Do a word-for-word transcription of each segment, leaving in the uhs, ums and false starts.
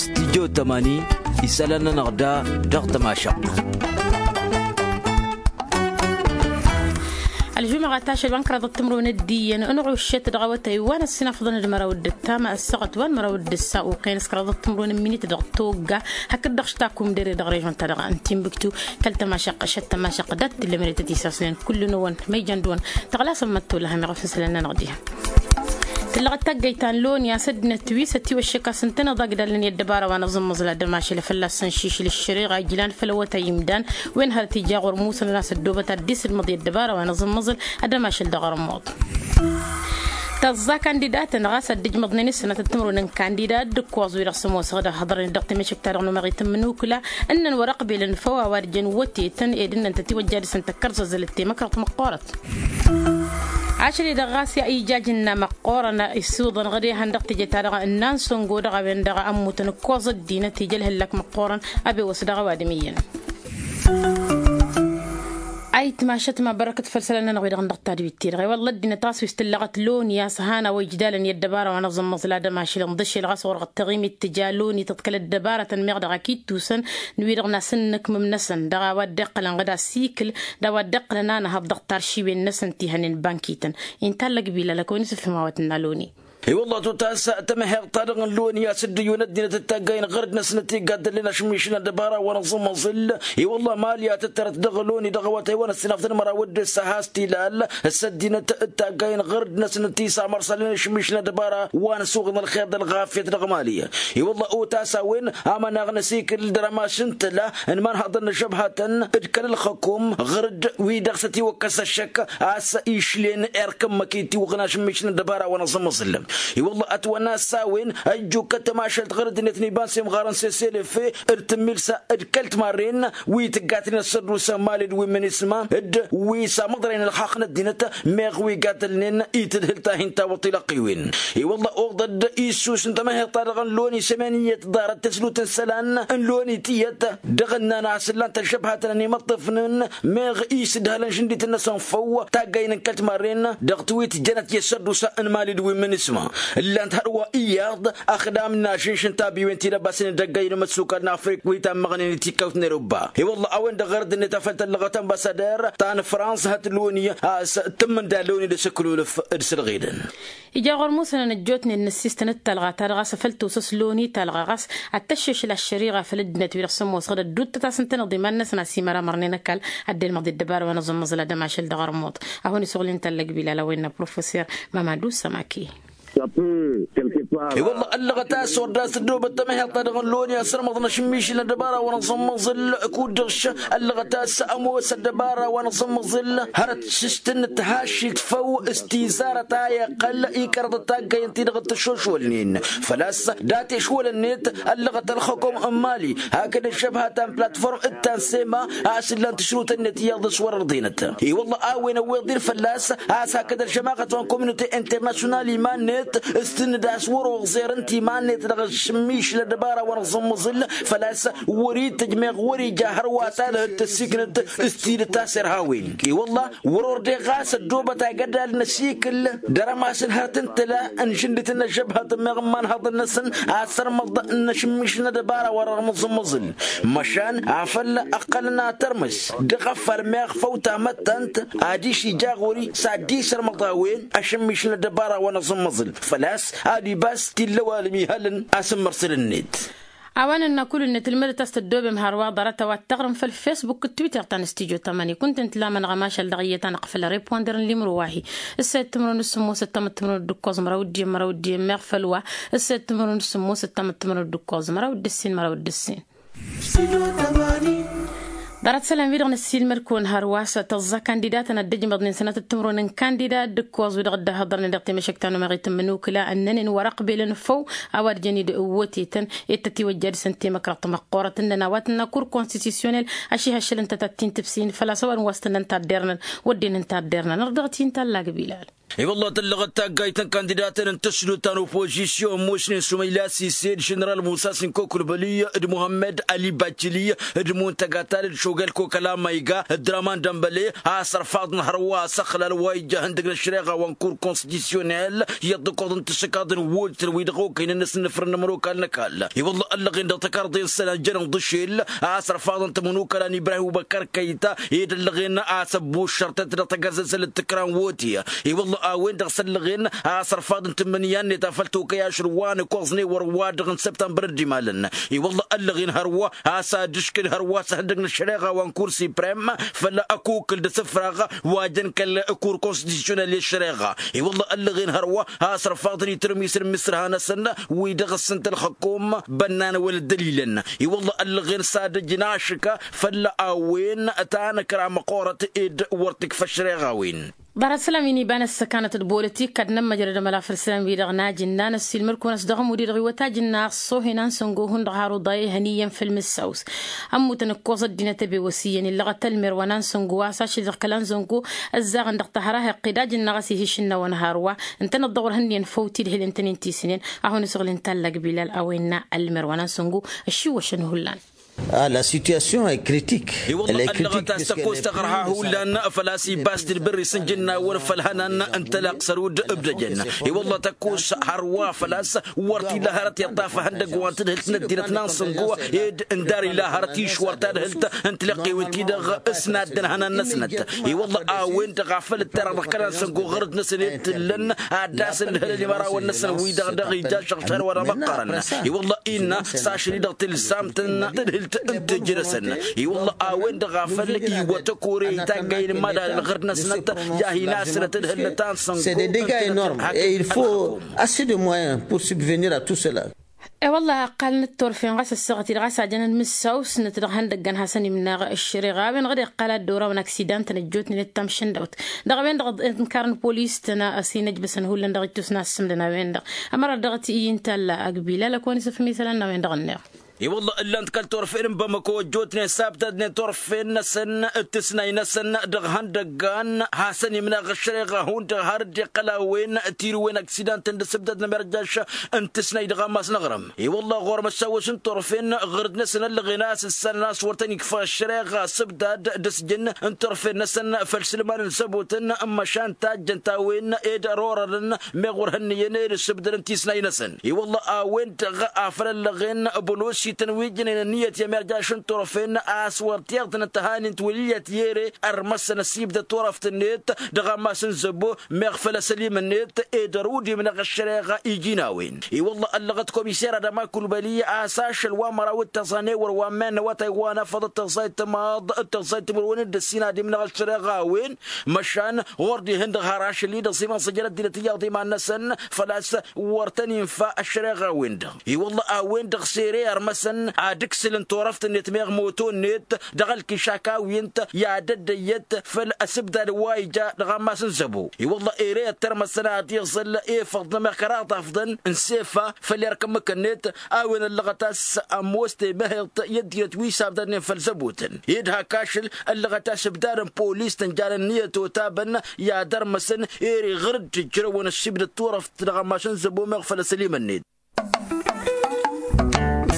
Stijjo tămani isălan-nănăɣ da dăɣ-tămašăɣt. Ălžumăɣa tašăl wa n-kăraḍăt timrun d-iyyăn ănɣuššet dăɣ-awătay wa n-ăssinafḍăn d-măraw d-ǝttam ăssăɣăt wa n-măraw d-ǝssa uqen s-kăraḍăt timrun n-minit dăɣ-togga hakd-dăɣ štakum dere dăɣ-režon-ta-dăɣ n-timbuktu. Kăl-tămašăqq šăt tămašăqq dat-t ǝllămăre tăt-isasnen kull-năwăn ma ijăn dăɣ-wăn tăɣlasăn măttolăhăm iɣăf n-isălan-nănăɣ diha. Tǝllăɣăt taggăyt ta n-loni a-s ăddinăt wi s-ătiwăššăk a-s ǝntăneḍ agdalăn i-ăddăbara wa n-aẓǝmmăẓǝl ad-ămašăl fălla-s săn šišǝl ǝššăreɣa ijlan făll-awătay imdan wen hărăt ija ɣur-musăn ad-asăddobăt ad-dd-isǝdmăḍ i-ăddăbara wa n-aẓǝmmăẓǝl ad-ămašăl dăɣ-ărmuḍ. Tăẓẓa kandidatăn ɣas ad-dd-ǝjmăḍnen s-sănatăt timrun n-kandidat d-ǝkkoẓ wi-dăɣ s-ămoosăɣ d-ăhhăḍrănen dăɣ-temešǝkt-ta-dăɣ n-umeɣit n-imǝnukǝla ǝnnăn wăr-ăqbelăn făw a-wa d-jăn wătetăn ed ǝnnăn tătiwăjja dăɣ-săn tăkkărzăzălăt temăkrăḍt măqqoorăt. Ašăl-i-dăɣ ɣas i-ija ajǝnna măqqoorăn isuḍăn ɣǝd ehăn dăɣ-teje-ta-dăɣ ǝnnan săngo dăɣ-a-wen-dăɣ a ămmutăn ǝkkoẓ ăddinăt ija ălhăllak măqqoorăn. Abew a-s dăɣ-ăwadǝm iyyăn. Ayǝtmašăt ma bărăkăt făll-isălan-nănăɣ wi-dăɣ n-dăɣ-tadwit-ti-dăɣ i-wălla ăddinăt ɣas wi s-tǝllăɣăt loni a-s han a-wa ijdalăn i-ăddăbara wa n-aẓǝmmăẓ la dămašăl ǝnḍǝšel ɣas ɣur-dăɣ taɣimit tǝja loni tǝḍkăl ăddăbarătăn meɣ dăɣ-akittusăn n-wi-dăɣ n-asǝnnǝkmǝm năsăn dăɣ-a-wa dd-iqqălăn ɣǝd asikǝl d-a-wa dd-iqqălăn anăhăḍ dăɣ-taršiwen-năsăn ti hănen bankităn. Inta allăg bilal a kăwăn-isǝfhǝm a-wa tǝnna loni. I-wălla a tutass tamăheḍt-ta-dăɣ n-loni a-s dd-ǝyyǝwăn ăddinăt d-taggay n-ɣărd-năsnăt i-gaddălnen ašǝmmišǝl n-ăddăbara wa n-aẓǝmmăẓǝl. I-wălla mali a tǝttărăt dăɣ-loni dăɣ-awătay wa n-ăssinafḍăn măraw d-ǝssa has-t-ilal s-ăddinăt d-taggay n-ɣărd-năsnăt i-samărsălnen ašǝmmišǝl n-ăddăbara wa n-asuɣ n-ălxer d-ălɣafyăt dăɣ-mali. I-wălla otas a-wen amăneɣ n-asikǝl d-arămaš n-tǝla n-imanhaḍăn n-ažăbhatăn d-kăl-ălxăkom ɣǝr-dd wi-dăɣ s-ătiwăkkăs ăššăk a-s išlen erk ǝmmǝk itiwăɣnaš n-mišǝl n-ăddăbara wa n-aẓǝmmăẓǝl. I-wălla ătwănna s-a-wen ăjjukkăt tămašalt ɣur-ăddinăt n-iba n-semɣarăn s-eselefe d-tǝmmilsa d-kăl-timarren wi tǝggatnen ăssărdus n-mali d-wi n-minisma d-wi s-amăḍrăyăn ălxaqq n-ăddinăt meɣ wi gaddălnen i-tǝdhǝlt a hin-tawăḍ tilăqqiwen. I-wălla oḍăd issus n-tamăheḍt-ta-dăɣ n-loni s-emeniyăt ḍarăt tăslut n-isălan n-loni tiyyăt dăɣ-ǝnnan a-s ǝllan-t ălžăbhatăn ănimăṭṭăfnen meɣ isǝdhălăn žǝndităn-năsăn făw taggăynen kăl-timarren dăɣ-tiwit jănăt i-ăssărdus n-mali d-wi n-minisma. Ǝllan-t hărwa iyyăḍ ăxdam n-ažǝnš n-tabiwen ti dăbasnen d-ăggăyăn imăssukal n-afrik wi tammăɣnen i-tikkăwt n-erubba. I-wălla a-wen-dăɣ ɣărăd-net a făl tăllăɣăt ănbassader ta n-frans hăt loni a-s tǝmmǝnda loni d-asǝklulǝf d-sălɣedăn. Ija ɣur-musănăn ăjjootnen n-ăssistăn d-talɣa ta dăɣ-a-s a făl tosăs loni talɣa ɣas ad-tăššešǝl aššăriɣa făll-ăddinăt wi-dăɣ s-ămoosăɣ d-ădduuttăt a-s ǝntăneḍ iman-năsăn a-s imăramărnen ăkall ad-dd-elmăḍ i-ăddăbara wa n-aẓǝmmăẓǝl ad-ămašăl dăɣ-armuḍ. A hon-isɣulnen tallăg bilal a-wa innă professor mamadu sămaki. I-wălla ăllăɣăt a-s wăr dd-asǝddobăt tamăheḍt-ta-dăɣ n-loni a sărmăḍ n-ašǝmmišǝl n-ăddăbara wa n-aẓǝmmăẓǝl kud-dăɣ š-ăllăɣăt a-s ămoos ăddăbara wa n-aẓǝmmăẓǝl hărăt s-tǝnnǝt hašit făw s-tizarăt a iqqăl ikărăḍăt taggăyăn-ti-dăɣ t-ăššošwălnen făl-a-s dat-ešwăl-net ăllăɣăt ălxăkom n-mali hakd ăžžăbha ta n-platform d-ta n-sema a-s ǝllan tǝšrutăn-net iyyăḍ s-wăr-ărḍenăt. I-wălla a-wen ăwweḍ-in fălla-s a-s hakd ălžămaɣăt wa n-kominote internasyonal iman-net s-tǝnnǝd a-s wăr-oẓer ǝnta iman-net dăɣ-ašǝmmišǝl ăddăbara wa n-aẓǝmmăẓǝl făl-a-s wăr-itǝjj meɣ wăr-ija hărwa talăhăt tăssiknăt s-tidǝt a-s irha a-wen. I-wălla wăr-ordeɣ ɣas ăddoobăt agădal n-asikǝl d-arămas n-hărăt n-tǝla n-žǝndit n-ăžžăbhăt meɣ n-imanhăḍăn-năsăn asărmăḍ n-ašǝmmiš n-ăddăbara wa n-aẓǝmmăẓǝl. Măšan afăl ǝqqălăn atărmǝs dăɣ-afăl meɣ făw tamăttant adiš ija ɣur-i s-ad-dd-isărmăḍ a-wen ašǝmmiš n-ăddăbara wa n-aẓǝmmăẓǝl făl-a-s ad-ibas t-illa ăwalăm ihălăn asǝmmărsăl-net. A-wa nǝnna kull-net ǝlmǝdăt a-s tăddoobem hărwa ḍarăt a-wa t-taɣrǝm făll-fesbuk d-twitter ta n-stijo tamani kunta ǝntǝlamănăɣ ămašal dăɣ-iyyăt a năqfăl reponder n-limro wa-hi. Ǝssayăt timǝrwen d-sǝmmos ǝttamăt timǝrwen d-ǝkkoẓ măraw d-iyyăn măraw d-iyyăn meɣ făll-wa. Ǝssayăt timǝrwen d-sǝmmos ǝttamăt timǝrwen d-ǝkkoẓ măraw d-ǝssin măraw d-ǝssin. Ḍarăt isălan-wi-dăɣ năssiilmăd-kăwăn hărwa s-tăẓẓa kandidatăn ad-dd-ǝjmăḍnen sănatăt timǝrwen n-kandidat d-ǝkkoẓ-wi-dăɣ dd-ăhhăḍărnen dăɣ-temăšăkt ta n-umăɣit n-imǝnukǝla ǝnnănen wăr-ăqbelăn făw a-wa dd-jăn idăwwătetăn. Ed tătiwăjja dăɣ-săn temăkrăḍt măqqoorăt ǝnnăn a-wa tǝnna kur konstitisyonel ašihăššăl ǝnta ta t-in-tǝbsin făl-a-s ăwadǝm wa s-tǝnnăn taddernăn wădden n-taddernăn ărdăɣ-t-in tallag bilal. I-wălla tăllăɣăt taggayt n-kandidatăn n-tǝsdut ta n-opozisyon ămoosnen sumăyla sise d-ženeral musa sinko kulbăli d-muhămmăd ali bacili d-muntăga tal d-šogăl kokăla mayga d-draman dămbăle a-s ărfaḍăn hărwa a-s ăxlal wa ija ihăndăg n-ăššăreɣa wa n-kur konstitusyonel i-ăṭṭăkoḍ n-tǝššăkaḍ n-wultăn wi dăɣ-okăynăn n-asǝnnǝfrăn n-ămănokal n-ăkall. I-wălla ăllăɣen dăɣ-tăkarḍe n-isălan jănen ḍǝšel a-s ărfaḍăn tămănokăla n-ibrahim ubăkăr kăyta ed ăllăɣen a-s ăbbuššărtăt dăɣ-tagărzăzăl d-tǝkra n-woti. I-wălla a-wen-dăɣ s-ăllăɣen a-s ărfaḍ n-tǝmmǝnǝya-net a făl tokăy ašăl wa n-ǝkoẓnen wăr-wa-dăɣ n-săbtămbăr d-imalăn. I-wălla ăllăɣen hărwa a-s ad-ǝškǝd hărwa s-ehăndăg n-ăššăreɣa wa n-kur siprem făll-ăkukǝl d-asǝfraɣ wa jăn kăl-kur konstitusyonel i-ăššăreɣa. I-wălla ăllăɣen hărwa a-s ărfaḍăn itǝrmisăn n-imǝsrăha-năsăn wi-dăɣ ǝssǝnt ălxăkum bănnan wăla ăddălilăn. I-wălla ăllăɣen s-ad-ǝjǝn ašǝka făll-a-wen ta n-ǝkra măqqoorăt ed wăr t-ikfa ăššăreɣa-wen. Ḍarăt sălam-in iba n-ăssăkanăt d-bolătik ad-nămmăjrăd amăla făll-isălan-wi-dăɣ n-ajǝnna n-ăssiilmăd-kăwăn a-s dăɣ-ămudd-i-dăɣ iwăt ajǝnna ăṣṣoohen a n-săngo hundăɣ har uḍa ihăn iyyăn făll-mǝssaws. Ămmutăn ǝkkoẓ ăddinăt ăbewăs iyyăn illăɣăt ălmer wa n-ansăngo a-s ašăl-i-dăɣ kăla n-săngo ǝzzaɣăn dăɣ-tahăra heqqed ajǝnna ɣas ih' išǝnna wa n-hărwa. Ǝntăneḍ-dăɣ wăr hǝnniyăn făw tidhǝlen-tăn-in tisǝnen. Ad-hawăn-isăɣǝl inta ăllăg bilal a-wa innă ălmer wa n-ansăngo ăššiwwăšăn hullan. A la situation e kritik. I-wălla ăllăɣăt a-s tăkkoẓ taɣărha hullan făl-a-s ibbas-t d-bărri s-ǝnjǝnnawăn făll-ihănan n-tălaqsărud ǝbdăjăn. I-wălla tăkkoẓ hărwa făl-a-s wăr t-ila hărăt iṭṭaf ehăndăgg wa n-tadhǝlt n-ăddinăt n-ansăngo ed ǝndar ila hărăt išwăr tadhǝlt n-tilăqqewen-ti-dăɣ s-naddăn ihănan-năsnăt. I-wălla a-wen-dăɣ a făl ǝttărăɣ dăɣ-kăla n-săngo ɣărăt-năsăn ed t-ǝllăn ad-dd-asǝlhǝlăn imărawăn-năsăn wi-dăɣ dăɣ-ija šăɣšar wăr-ămăqqărăn. I-wălla innă s-ašăl-i-dăɣ tǝlsamt n-tadhǝlt n-tejădăsăn. I-wălla a-wen-dăɣ a făl iwwăt ăkore itaggăyăn n-imadal ălɣărd-năsnăt i-ad-hin-asǝlăt tadhǝlt ta n-săngo. C'est des dégâts énormes et il faut assez de moyens pour subvenir à tout cela. E-wălla ăqqalăn d-turfen ɣas ăssaɣăt-i-dăɣ a-s ajăn d-mǝssaw s-năt dăɣ-ihăndăggăn hasăn-imnaɣ ăššăreɣa a-wen-dăɣ d-iqqal ad-dd-orawăn aksidan-tăn ăjjootnen d-tamšǝndawt. Dăɣ-a-wen-dăɣ ǝnkar n-polis-tăn a-s hin-ăjbăsăn hullan dăɣ-ittus n-assǝmdăn a-wen-dăɣ. Ămăra dăɣ-t iyyǝn talla agbila lăkăwăn-isǝfhǝm isălan n-a-wen-dăɣ ǝnneɣ. I-wălla ǝllan-t kăl-turfen n-bamăko ăjjootnen sabtadnen turfen-năsăn d-tǝsnay-năsăn dăɣ-ihăndăggan hasăn-imnaɣ ăššăreɣa hundăɣ har dd-iqqăl a-wen tirǝwen aksidan-tăn d-asǝbdad n-amerjaš n-tǝsnay dăɣ-ammas n-aɣrǝm. I-wălla ɣur-măssawăš n-turfen ɣǝr-dd-năsăn ăllăɣen a-s ǝssanăn a-s wăr tăn-ikfa ăššăreɣa asǝbdad d-asjǝn n-turfen-năsăn făll-isǝlman n-zăbotăn n-măšan tajjăn-t a-wen ed ărorărăn meɣ wăr hǝnnǝyăn ed asǝbdăd n-tisnay-năsăn. I-wălla a-wen-dăɣ a făl ăllăɣen bălosităn wi ǝjnen ǝnniyăt i-amerjaš n-turfen a-s wăr t-iḍnăt ăhanin-t wăl' iyyăt i-ere ărmăsăn ăsibdăd turăft-net dăɣ-ammas n-zăbo meɣ făll-asălim-net ed ărud imnăɣ ăššăreɣa iji n-a-wen. I-wălla ăllăɣăt komiser adăma kulbăli a-s ašăl wa măraw d-tăẓa n-ewăr wa n-iman n-awătay wa n-afăḍ d-tăẓa itmaḍ d-tăẓa itmărwen d-ăssin ad-imnăɣ ăššăreɣa a-wen. Măšan ɣur-dd ihǝndăɣ har ašăl-i-dăɣ s-iman săjăr ăddinăt iyyăḍ iman-năsăn făl-a-s wăr tăn-infa ăššăreɣa-wen-dăɣ. I-wălla a-wen-dăɣ s-ere ărmăsăn ad-ǝksǝlăn turăft-net meɣ moto-net dăɣ-ălkišak a-wen-t i-ad-ăddăyyăt făll-asǝbdad wa ija dăɣ-ammas n-zăbo. I-wălla ere ăttărmăsăn ad-iẓǝl efăḍ n-emăkăraḍ afḍăn n-sefa făll-erk ǝmmǝk-net a-wen ăllăɣăt a-s ămoos temăheḍt i-ăddinăt wi s-abdadnen făll-zăbotăn ed hak ašăl ăllăɣăt a-s ǝbdadăn polis tăn-jan ǝnniyăt otabăn i-ad-ărmăsăn ere ɣǝr-dd ǝjrăwăn ăsibdăd turăft dăɣ-ammas n-zăbo meɣ făll-asălim-net.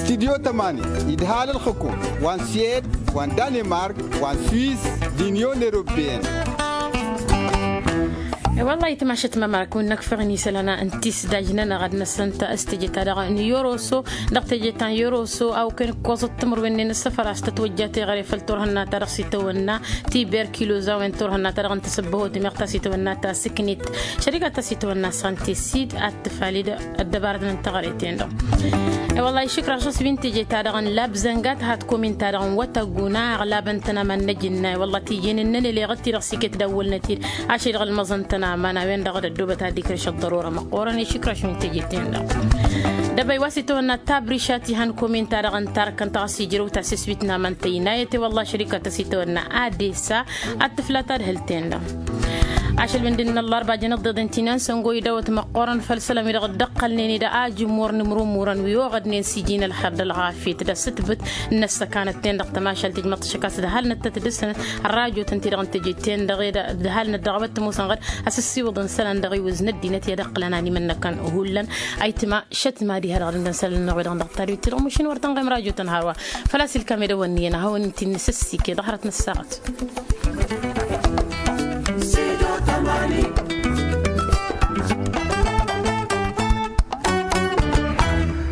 Studyo tămani idhal ălxǝkum wa n-syed wa n-danimark wa n-swiss d-inyon europeyăn. Wăllah itmašăt mămark wi n-ăkfăɣăn isălan n-tisdaj-nănăɣ ad-năsăn ta s-teje-ta-dăɣ n-yoroso dăɣ-teje ta n-yoroso a okăyăn ǝkkoẓăt timǝrwen-nen ǝssăfăr a-s tătwăjja teɣăre făll-turhǝnna-ta-dăɣ s-itawănna tiberkiloza a-wen turhǝnna-ta-dăɣ n-tasǝbbăhot meɣ ta s-itawănna ta s-ǝknet šărika ta s-itawănna sante sid ad-tǝfaled ăddăbarăt n-teɣăre-ten-dăɣ. I-wăllah išǝkraš s-wi n-teje-ta-dăɣ n-labzănga tăhat komin-ta-dăɣ n-wătaguna aɣlabăn-tăn aman n-ajǝnna i-wăllah tijjǝn n-nănăleɣăt-ti-dăɣ s-iket d-awwălnăt-dd ašăl-i-dăɣ ălmăẓăn-tăn aman a-wen-dăɣ d-ăddoobăt ad-ikrǝš ăḍḍărora măqqoorăn išǝkraš wi n-teje-ten-dăɣ. Dăbăy wa s-itawănna tabriša tihăn komin-ta-dăɣ n-tarkăn ta ɣas ijrăw ta s-iswit n-aman tăynayăt i-wăllah šărika ta s-itawănna adesa ad-tǝfla tadhǝlt-ten-dăɣ. Ašăl wi n-dăɣ-năllar bajăn ăḍḍeḍen ti n-ansăngo idawăt măqqoorăn făll-isălan wi dăɣ-dd-ăqqălnen i-dăɣ ajǝm wăr nǝmrǝmmurăn wi oɣădnen s-iji n-ălxer d-ălɣafyăt d-asǝtbǝt n-ăssăkanăt-ten-dăɣ tămašalt ijmăḍ-t šăkkas d-ăhalnăt tăt-dăr-săn. Ărrajotăn-ti-dăɣ n-teje-ten-dăɣ ed ăhalnăt dăɣ-a-wa t-ămoosăn ɣǝd a-s ăssiwǝḍăn isălan dăɣ-iwǝz n-ăddinăt i-ad-ăqqǝlăn animănnăkăn hullan. Ayǝtma šătma diha-dăɣ dăɣ-isălan-năɣ wi-dăɣ n-dăɣ-tadwit-ti-dăɣ mašin wăr tăn-ɣem rajotăn hărwa. Făl-a-s ilkam edăwănni i-ănn ad-hawăn-t-in-nǝsǝssike ḍăhrăt n-ăssaɣăt.